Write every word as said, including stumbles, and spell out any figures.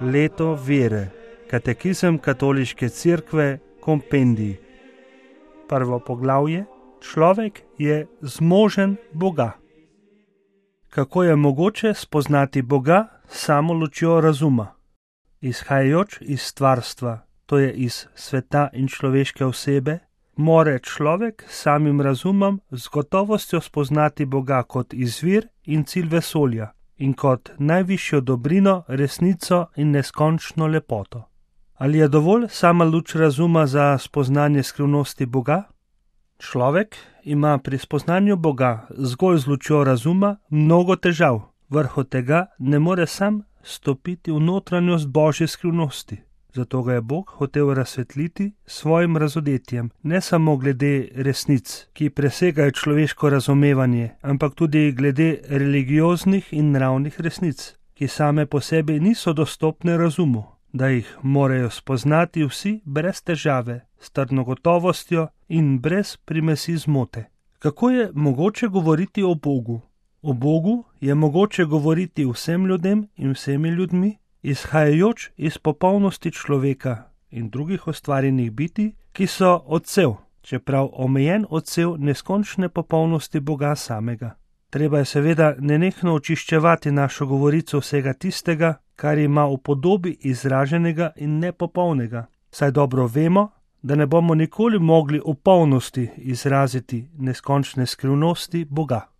leto vere, katekizem Katoliške cerkve, kompendij. Prvo poglavje: človek je zmožen Boga. Kako je mogoče spoznati Boga samo lučjo razuma? Izhajajoč iz stvarstva, to je iz sveta in človeške osebe, more človek samim razumom z gotovostjo spoznati Boga kot izvir in cilj vesolja in kot najvišjo dobrino, resnico in neskončno lepoto. Ali je dovolj sama luč razuma za spoznanje skrivnosti Boga? Človek ima pri spoznanju Boga zgolj z lučjo razuma mnogo težav, vrhu tega ne more sam stopiti v notranjost Božje skrivnosti. Zato ga je Bog hotel razsvetliti s svojim razodetjem, ne samo glede resnic, ki presegajo človeško razumevanje, ampak tudi glede religioznih in nravnih resnic, ki same po sebi niso dostopne razumu, da jih morajo spoznati vsi brez težave, s trdno gotovostjo in brez primesi zmote. Kako je mogoče govoriti o Bogu? O Bogu je mogoče govoriti vsem ljudem in vsemi ljudmi, izhajajoč iz popolnosti človeka in drugih ustvarjenih bitij, ki so odsev, čeprav omejen odsev neskončne popolnosti Boga samega. Treba je seveda nenehno očiščevati našo govorico vsega tistega, kar ima v podobi izraženega in nepopolnega, saj dobro vemo, da ne bomo nikoli mogli v polnosti izraziti neskončne skrivnosti Boga.